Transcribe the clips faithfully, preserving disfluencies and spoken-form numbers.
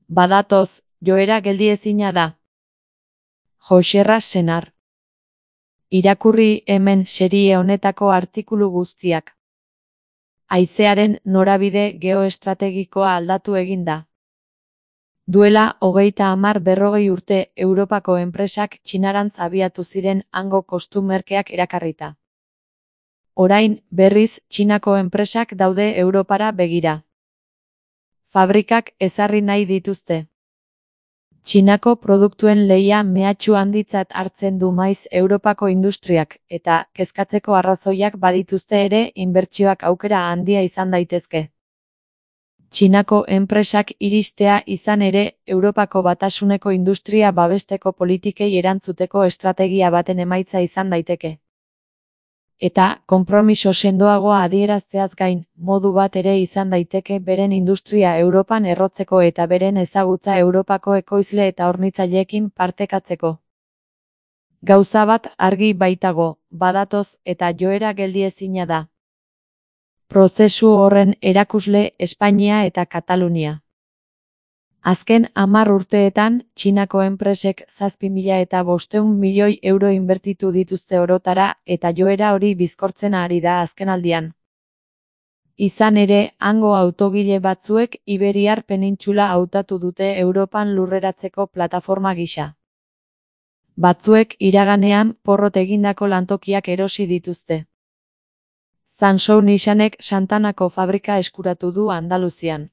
Badatoz, joera geldiezina da. Joxerra Senar. Irakurri hemen serie honetako artikulu guztiak. Haizearen norabide geoestrategikoa aldatu egin da. Duela hogeita hamar berrogei urte Europako enpresak Txinarantz abiatu ziren hango kostu merkeak erakarrita. Orain, berriz, Txinako enpresak daude Europara begira. Fabrikak ezarri nahi dituzte. Txinako produktuen lehia mehatxu handitzat hartzen du maiz Europako industriak, eta kezkatzeko arrazoiak badituzte ere inbertsioak aukera handia izan daitezke. Txinako enpresak iristea izan ere, Europako Batasuneko industria babesteko politikei erantzuteko estrategia baten emaitza izan daiteke. Eta, konpromiso sendoagoa adierazteaz gain, modu bat ere izan daiteke beren industria Europan errotzeko eta beren ezagutza Europako ekoizle eta hornitzaileekin partekatzeko. Gauza bat argi baitago, badatoz eta joera geldiezina da. Prozesu horren erakusle Espainia eta Katalunia. Azken hamar urteetan, Txinako enpresek zazpi mila eta bostehun milioi euro inbertitu dituzte orotara eta joera hori bizkortzen ari da azkenaldian. Izan ere, hango autogile batzuek Iberiar penintsula hautatu dute Europan lurreratzeko plataforma gisa. Batzuek iraganean porrot egindako lantokiak erosi dituzte. Sansou Nissanek Santanako fabrika eskuratu du Andaluzian.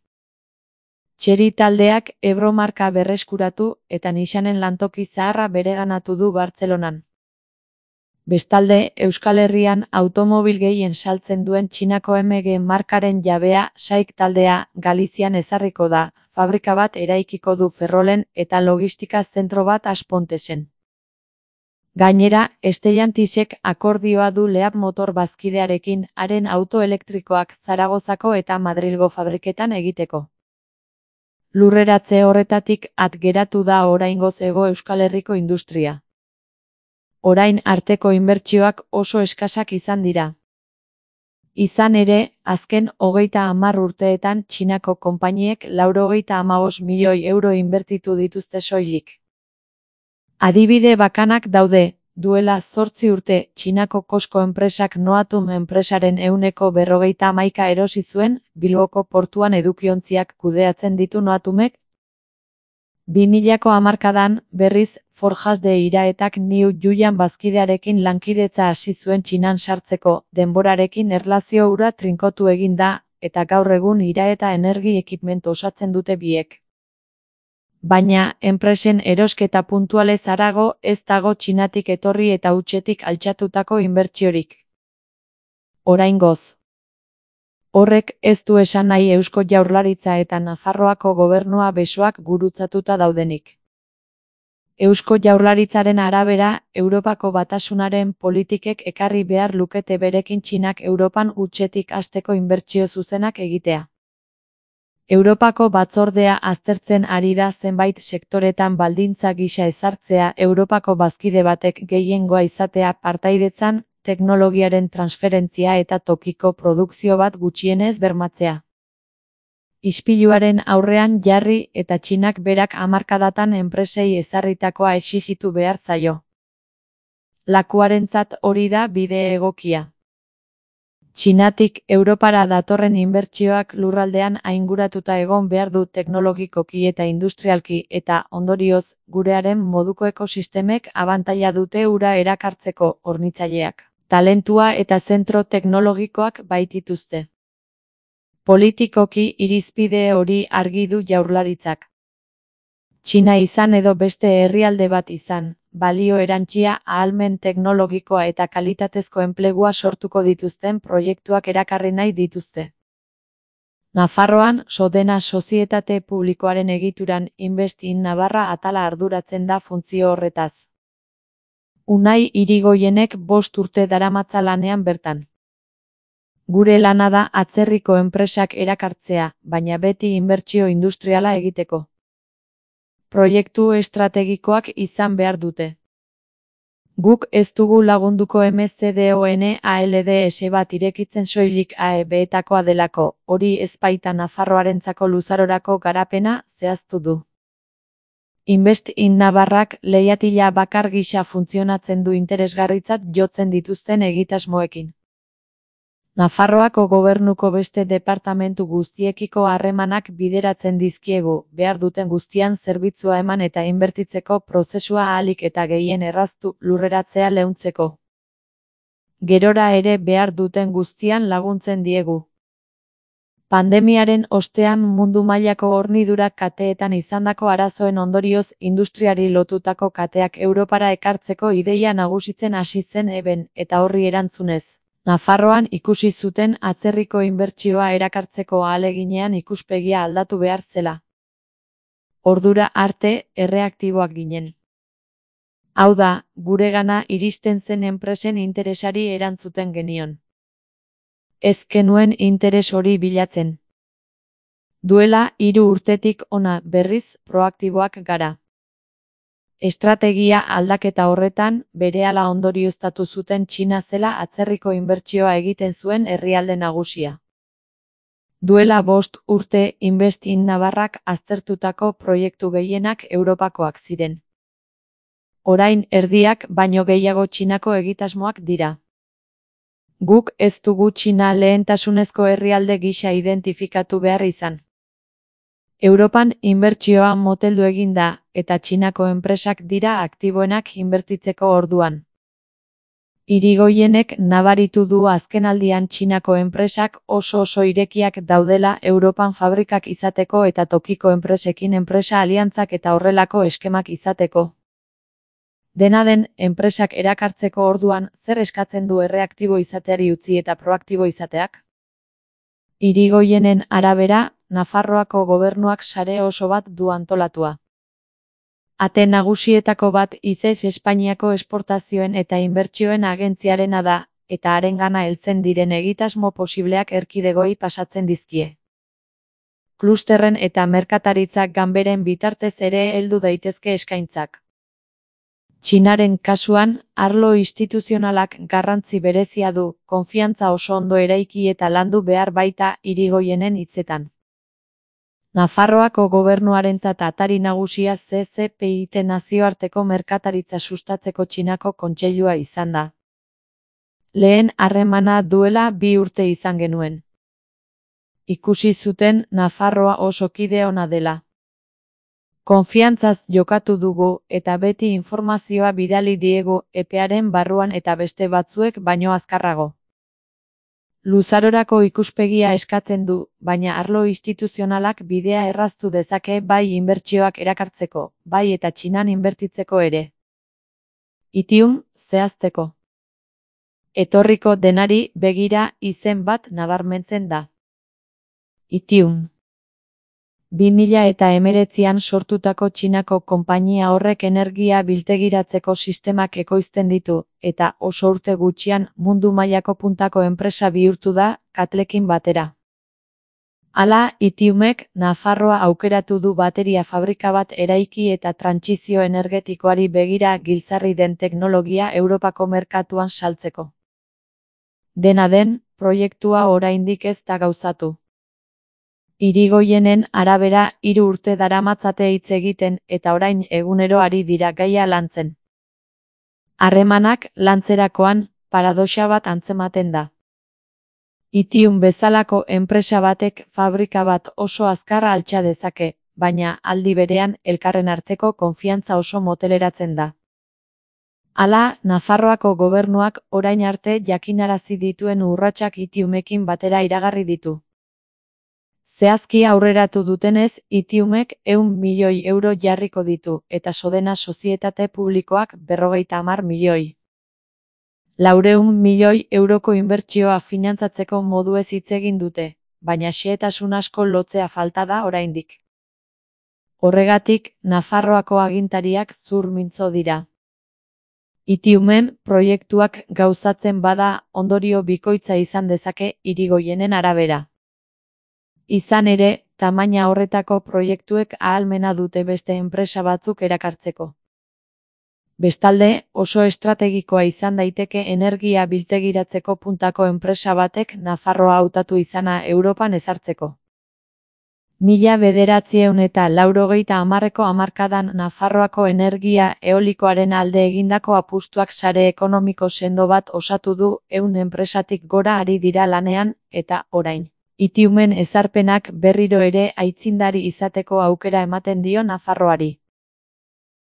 Txeri taldeak Ebro marka berreskuratu eta Nissanen lantoki zaharra bereganatu du Bartzelonan. Bestalde, Euskal Herrian automobil gehien saltzen duen Txinako M G markaren jabea Saik taldea Galizian ezarriko da, fabrika bat eraikiko du Ferrolen eta logistika zentro bat Aspontesen. Gainera, Stellantisek akordioa du Leap motor bazkidearekin haren auto elektrikoak Zaragozako eta Madrilgo fabriketan egiteko. Lurreratze horretatik at geratu da oraingoz Hego Euskal Herriko industria. Orain arteko inbertsioak oso eskasak izan dira. Izan ere, azken hogeita hamar urteetan Txinako konpainiek laurogeita hamabost milioi euro inbertitu dituzte soilik. Adibide bakanak daude, duela zortzi urte Txinako Cosco enpresak Noatum enpresaren ehuneko berrogeita hamaika erosi zuen, Bilboko portuan edukiontziak kudeatzen ditu Noatumek. bi milako hamarkadan, berriz, Forjas de Iraetak New Yuyan bazkidearekin lankidetza hasi zuen Txinan sartzeko, denborarekin erlazio hura trinkotu egin da, eta gaur egun Iraeta energi ekipmentu osatzen dute biek. Baina, enpresen erosketa puntualez harago ez dago Txinatik etorri eta hutsetik altxatutako inbertsiorik. Oraingoz. Horrek ez du esan nahi Eusko Jaurlaritza eta Nafarroako gobernua besoak gurutzatuta daudenik. Eusko Jaurlaritzaren arabera, Europako Batasunaren politikek ekarri behar lukete berekin Txinak Europan hutsetik hasteko inbertsio zuzenak egitea. Europako batzordea aztertzen ari da zenbait sektoretan baldintza gisa ezartzea Europako bazkide batek gehiengoa izatea partaidetzan, teknologiaren transferentzia eta tokiko produkzio bat gutxienez bermatzea. Ispiluaren aurrean jarri eta Txinak berak hamarkadatan enpresei ezarritakoa exijitu behar zaio. Lakuarentzat hori da bide egokia. Txinatik Europara datorren inbertsioak lurraldean ainguratuta egon behar du teknologikoki eta industrialki eta, ondorioz, gurearen moduko ekosistemek abantaila dute hura erakartzeko hornitzaileak. Talentua eta zentro teknologikoak baitituzte. Politikoki irizpide hori argi du Jaurlaritzak. Txina izan edo beste herrialde bat izan, balio erantsia, ahalmen teknologikoa eta kalitatezko enplegua sortuko dituzten proiektuak erakarri nahi dituzte. Nafarroan, Sodena sozietate publikoaren egituran Invest in Navarra atala arduratzen da funtzio horretaz. Unai Irigoienek bost urte daramatza lanean bertan. Gure lana da atzerriko enpresak erakartzea, baina beti inbertsio industriala egiteko. Proiektu estrategikoak izan behar dute. Guk ez dugu lagunduko M C D O N A L D S bat irekitzen soilik A E B-etakoa delako, hori ez baita Nafarroarentzako luzarorako garapena zehaztu du. Invest in Navarrak leihatila bakar gisa funtzionatzen du interesgarritzat jotzen dituzten egitasmoekin. Nafarroako gobernuko beste departamentu guztiekiko harremanak bideratzen dizkiegu, behar duten guztian zerbitzua eman eta inbertitzeko prozesua ahalik eta gehien erraztu lurreratzea leuntzeko. Gerora ere behar duten guztian laguntzen diegu. Pandemiaren ostean mundu mailako hornidurak kateetan izandako arazoen ondorioz industriari lotutako kateak Europara ekartzeko ideia nagusitzen hasi zen eben, eta horri erantzunez. Nafarroan ikusi zuten atzerriko inbertsioa erakartzeko ahaleginean ikuspegia aldatu behar zela. Ordura arte erreaktiboak ginen. Hau da, guregana iristen zen enpresen interesari erantzuten genion. Ez genuen interes hori bilatzen. Duela hiru urtetik hona berriz proaktiboak gara. Estrategia aldaketa horretan, berehala ondorioztatu zuten Txina zela atzerriko inbertsioa egiten zuen herrialde nagusia. Duela bost urte Invest in Navarrak aztertutako proiektu gehienak Europakoak ziren. Orain erdiak baino gehiago Txinako egitasmoak dira. Guk ez dugu Txina lehentasunezko herrialde gisa identifikatu behar izan. Europan inbertsioa moteldu egin da, eta Txinako enpresak dira aktiboenak inbertitzeko orduan. Irigoienek nabaritu du azkenaldian Txinako enpresak oso oso irekiak daudela Europan fabrikak izateko eta tokiko enpresekin enpresa aliantzak eta horrelako eskemak izateko. Dena den, enpresak erakartzeko orduan, zer eskatzen du erreaktibo izateari utzi eta proaktibo izateak? Irigoienen arabera, Nafarroako gobernuak sare oso bat du antolatua. Ate nagusietako bat I C E S Espainiako esportazioen eta inbertsioen agentziarena da, eta harengana heltzen diren egitasmo posibleak erkidegoi pasatzen dizkie. Klusterren eta merkataritzak ganberen bitartez ere heldu daitezke eskaintzak. Txinaren kasuan, arlo instituzionalak garrantzi berezia du, konfiantza oso ondo eraiki eta landu behar baita Irigoienen hitzetan. Nafarroako gobernuarentzat atari nagusia C C P I T nazioarteko merkataritza sustatzeko Txinako kontseilua izan da. Lehen harremana duela bi urte izan genuen. Ikusi zuten Nafarroa oso kide ona dela. Konfiantzaz jokatu dugu eta beti informazioa bidali diegu epearen barruan eta beste batzuek baino azkarrago. Luzarorako ikuspegia eskatzen du, baina arlo instituzionalak bidea erraztu dezake bai inbertsioak erakartzeko, bai eta Txinan inbertitzeko ere. Itium, zehazteko. Etorriko denari begira izen bat nabarmentzen da. Itium. bi mila hemeretzian sortutako Txinako konpainia horrek energia biltegiratzeko sistemak ekoizten ditu, eta oso urte gutxian mundu mailako puntako enpresa bihurtu da, Katlekin batera. Hala, Itiumek Nafarroa aukeratu du bateria fabrika bat eraiki eta trantsizio energetikoari begira giltzarri den teknologia Europako merkatuan saltzeko. Dena den, proiektua oraindik ez da gauzatu. Irigoienen arabera hiru urte daramatzate hitz egiten eta orain egunero ari dira gaia lantzen. Harremanak lantzerakoan paradoxa bat antzematen da. Itium bezalako enpresa batek fabrika bat oso azkar altxa dezake, baina aldi berean elkarren arteko konfiantza oso moteleratzen da. Hala, Nafarroako gobernuak orain arte jakinarazi dituen urratsak Itiumekin batera iragarri ditu. Zehazki aurreratu dutenez, Itiumek ehun milioi euro jarriko ditu, eta Sodena sozietate publikoak berrogeita hamar milioi. Laurehun milioi euroko inbertsioa finantzatzeko moduez hitz egin dute, baina xehetasun asko lotzea falta da oraindik. Horregatik, Nafarroako agintariak zur mintzo dira. Itiumen proiektuak gauzatzen bada ondorio bikoitza izan dezake Irigoienen arabera. Izan ere, tamaina horretako proiektuek ahalmena dute beste enpresa batzuk erakartzeko. Bestalde, oso estrategikoa izan daiteke energia biltegiratzeko puntako enpresa batek Nafarroa hautatu izana Europan ezartzeko. Mila bederatziehun eta laurogeita hamarreko hamarkadan Nafarroako energia eolikoaren alde egindako apustuak sare ekonomiko sendo bat osatu du, ehun enpresatik gora ari dira lanean, eta, orain, Itiumen ezarpenak berriro ere aitzindari izateko aukera ematen dio Nafarroari.